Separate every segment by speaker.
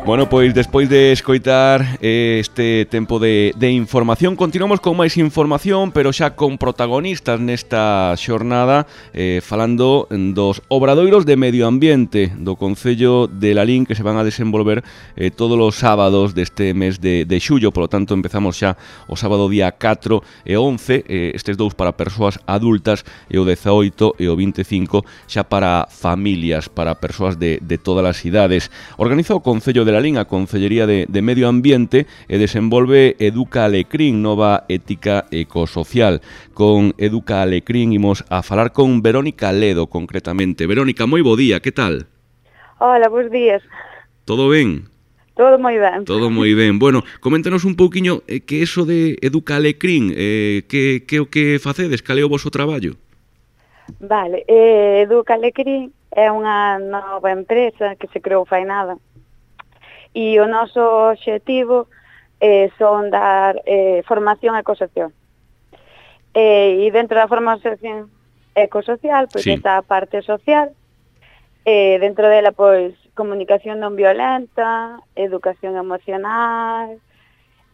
Speaker 1: Bueno, pois despois de escoitar este tempo de información, continuamos con máis información, pero xa con protagonistas nesta xornada, falando dos obradoiros de medio ambiente do Concello de Lalín que se van a desenvolver todos os sábados deste mes de xullo. Por lo tanto, empezamos xa o sábado día 4 e 11, estes dous para persoas adultas, e o 18 e o 25 xa para familias, para persoas de todas as idades. Organiza o Concello de Lalín, a Concellería de Medio Ambiente, e desenvolve Educa Alecrín, nova ética ecosocial. Con Educa Alecrín imos a falar con Verónica Ledo, concretamente. Verónica, moi bo día, que tal?
Speaker 2: Hola, bons días.
Speaker 1: Todo ben?
Speaker 2: Todo moi ben.
Speaker 1: Todo moi ben. Bueno, coméntanos un pouquiño que eso de Educa Alecrín, que o que facedes, cal é o voso traballo?
Speaker 2: Vale, Educa Alecrín é unha nova empresa que se creou fai nada. E o noso obxectivo son dar formación ecosocial. E dentro da formación ecosocial, pois
Speaker 1: Sí.
Speaker 2: está a parte social, dentro dela, pois, comunicación non violenta, educación emocional,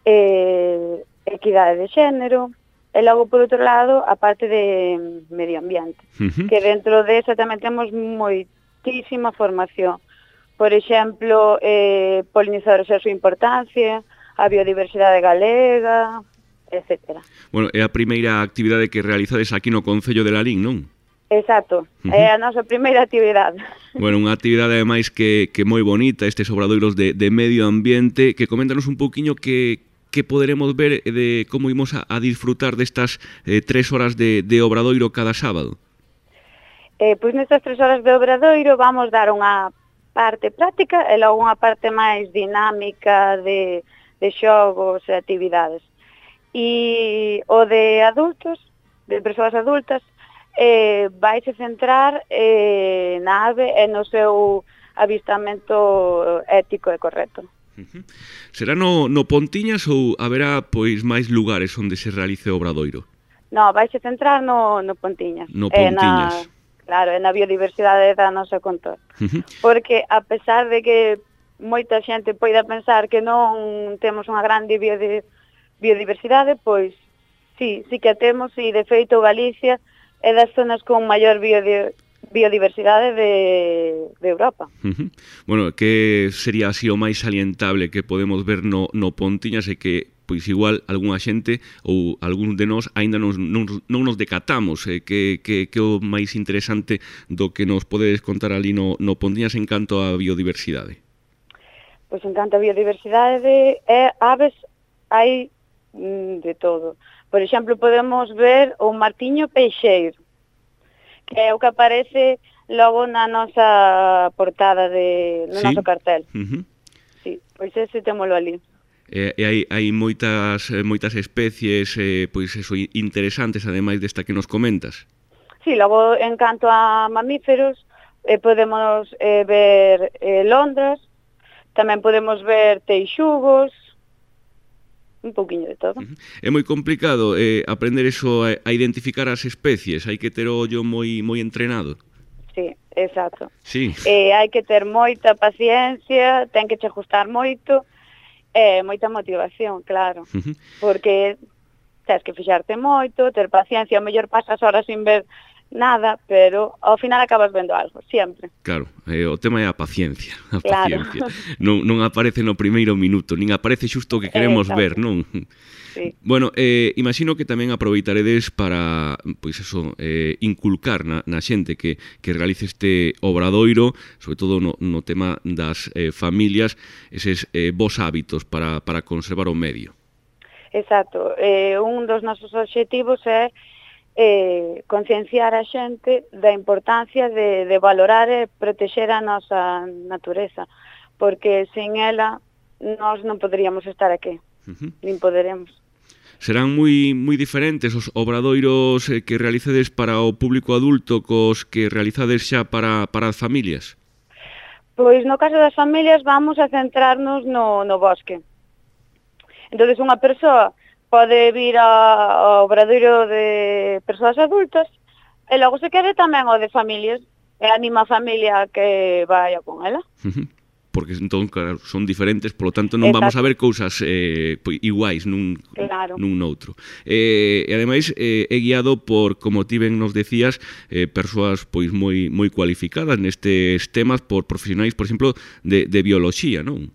Speaker 2: equidade de xénero, e logo, por outro lado, a parte de medio ambiente, que dentro desa tamén temos moitísima formación. Por exemplo, polinizadores e a súa importancia, a biodiversidade galega, etc.
Speaker 1: Bueno, é a primeira actividade que realizades aquí no Concello de Lalín, non?
Speaker 2: Exacto, é a nosa primeira actividade.
Speaker 1: Bueno, unha actividade ademais que moi bonita, estes obradoiros de medio ambiente, que coméntanos un pouquiño que poderemos ver de como imos a disfrutar destas 3 horas de obradoiro cada sábado.
Speaker 2: Pois nestas 3 horas de obradoiro vamos dar unha parte práctica e logo unha parte máis dinámica de xogos e actividades. E o de adultos, de persoas adultas, vaise centrar na ave e no seu avistamento ético e correcto.
Speaker 1: Será no Pontiñas ou haberá pois máis lugares onde se realice o obradoiro?
Speaker 2: No, vaise centrar no Pontiñas.
Speaker 1: No Pontiñas.
Speaker 2: Claro, na biodiversidade da nosa contorno. Porque, a pesar de que moita xente poida pensar que non temos unha grande biodiversidade, pois sí que a temos, e de feito Galicia é das zonas con maior biodiversidade de Europa.
Speaker 1: Bueno, que sería así o máis salientable que podemos ver no Pontiñas e que pois igual algunha xente ou algún de nós aínda non nos decatamos, que o máis interesante do que nos podedes contar ali no Pontiñas en canto á biodiversidade.
Speaker 2: Pois en canto á biodiversidade aves hai de todo. Por exemplo, podemos ver o martiño peixeiro, que é o que aparece logo na nosa portada no noso cartel. Sí, pois ese témolo ali.
Speaker 1: E hai moitas especies pois eso, interesantes, ademais desta que nos comentas.
Speaker 2: Sí, logo en canto a mamíferos podemos ver londras, tamén podemos ver teixugos, un pouquiño de todo.
Speaker 1: É moi complicado aprender eso, a identificar as especies, hai que ter o ollo moi entrenado.
Speaker 2: Sí, exacto.
Speaker 1: Sí.
Speaker 2: Hai que ter moita paciencia, ten que che ajustar moito, moita motivación, claro, porque tens que fixarte moito, ter paciencia, ao mellor pasas horas sin ver nada, pero ao final acabas vendo algo, sempre.
Speaker 1: Claro, o tema é a paciencia,
Speaker 2: Claro.
Speaker 1: Non aparece no primeiro minuto, nin aparece xusto o que queremos ver, non?
Speaker 2: Sí.
Speaker 1: Bueno, imagino que tamén aproveitaredes para, pois eso, inculcar na xente que realice este obradoiro, sobre todo no tema das familias, eses bons hábitos para conservar o medio.
Speaker 2: Exacto, un dos nosos obxectivos é concienciar a xente da importancia de valorar e protexer a nosa natureza, porque sen ela nós non poderíamos estar aquí, nin poderemos.
Speaker 1: Serán moi diferentes os obradoiros que realicedes para o público adulto cos que realizades xa para as familias?
Speaker 2: Pois no caso das familias vamos a centrarnos no bosque. Entón, unha persoa pode vir ao obradoiro de persoas adultas e logo se quere tamén o de familias e anima a familia que vaya con ela.
Speaker 1: porque entón, claro, son diferentes, polo tanto non vamos a ver cousas iguais nun noutro. E ademais é guiado por, como ti ben nos decías, persoas pois moi cualificadas nestes temas, por profesionais, por exemplo, de bioloxía, non?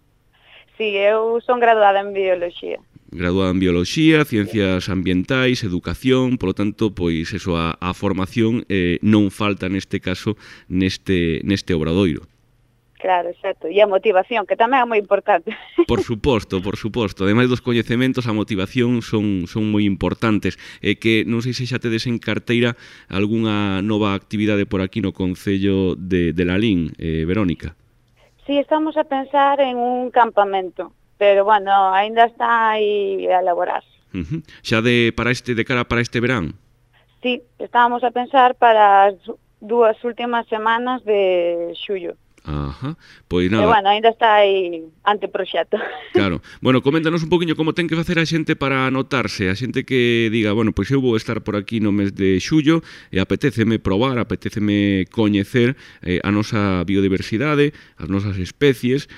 Speaker 2: Sí, eu son graduada en bioloxía.
Speaker 1: Graduada en bioloxía, ciencias ambientais, educación, polo tanto, pois eso, a formación non falta neste caso neste obradoiro.
Speaker 2: Claro, exacto. E a motivación, que tamén é moi importante.
Speaker 1: Por suposto. Ademais dos coñecementos, a motivación son moi importantes. E que non sei se xa tedes en carteira algunha nova actividade por aquí no Concello de Lalín, Verónica.
Speaker 2: Sí, estamos a pensar en un campamento, pero, bueno, aínda está aí a elaborarse.
Speaker 1: Xa de cara para este verán?
Speaker 2: Sí, estábamos a pensar para as 2 últimas semanas de xullo.
Speaker 1: Ajá, pois nada.
Speaker 2: E, bueno, ainda está aí anteproxecto.
Speaker 1: Claro. Bueno, coméntanos un poquinho como ten que facer a xente para anotarse, a xente que diga, bueno, pois eu vou estar por aquí no mes de xullo e apetéceme probar, apetéceme coñecer a nosa biodiversidade, as nosas especies,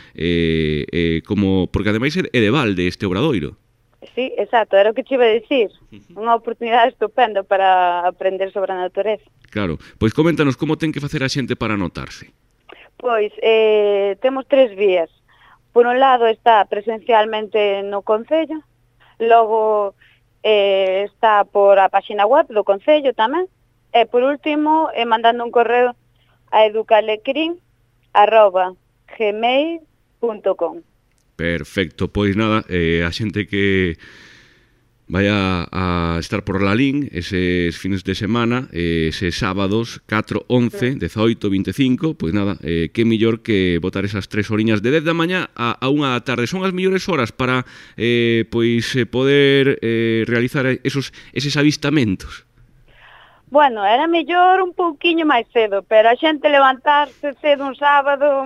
Speaker 1: como porque ademais é de balde este obradoiro.
Speaker 2: Sí, exacto, era o que te iba a dicir. Unha oportunidade estupenda para aprender sobre a natureza.
Speaker 1: Claro, pois coméntanos como ten que facer a xente para anotarse.
Speaker 2: Pois, temos 3 vías. Por un lado está presencialmente no Concello, logo está por a páxina web do Concello tamén, e por último mandando un correo a educalecrin@gmail.com.
Speaker 1: Perfecto, pois nada, a xente que vaya a estar por Lalín eses fines de semana, eses sábados 4, 11, 18, 25, pois nada, que mellor que botar esas 3 horiñas de 10 da mañá a 1 da tarde. Son as mellores horas para poder realizar eses avistamentos.
Speaker 2: Bueno, era mellor un pouquiño máis cedo, pero a xente levantarse cedo un sábado...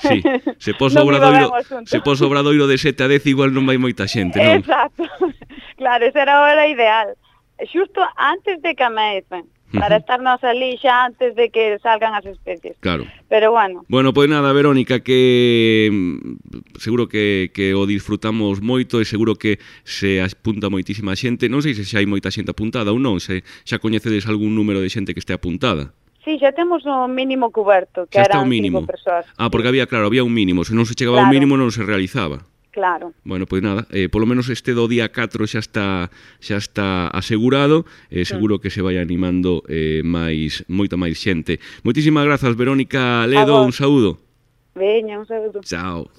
Speaker 1: Sí, se pos o obradoiro de 7 a 10 igual non vai moita xente, non?
Speaker 2: Exacto, claro, esa era a hora ideal. Xusto antes de que amece, para estarnos ali xa antes de que salgan as especies.
Speaker 1: Claro.
Speaker 2: Pero bueno.
Speaker 1: Bueno, pois nada, Verónica, que seguro que o disfrutamos moito e seguro que se apunta moitísima xente. Non sei se xa hai moita xente apuntada ou non, se xa coñecedes algún número de xente que este apuntada.
Speaker 2: Sí, xa temos o mínimo cuberto, que eran 5 persoas.
Speaker 1: Ah, porque había un mínimo, se non se chegaba ao mínimo non se realizaba.
Speaker 2: Claro.
Speaker 1: Bueno, pois nada, polo menos este do día 4 xa está asegurado, seguro que se vai animando moita máis xente. Moitísimas grazas, Verónica Ledo, un saúdo.
Speaker 2: Veña, un saúdo.
Speaker 1: Chao.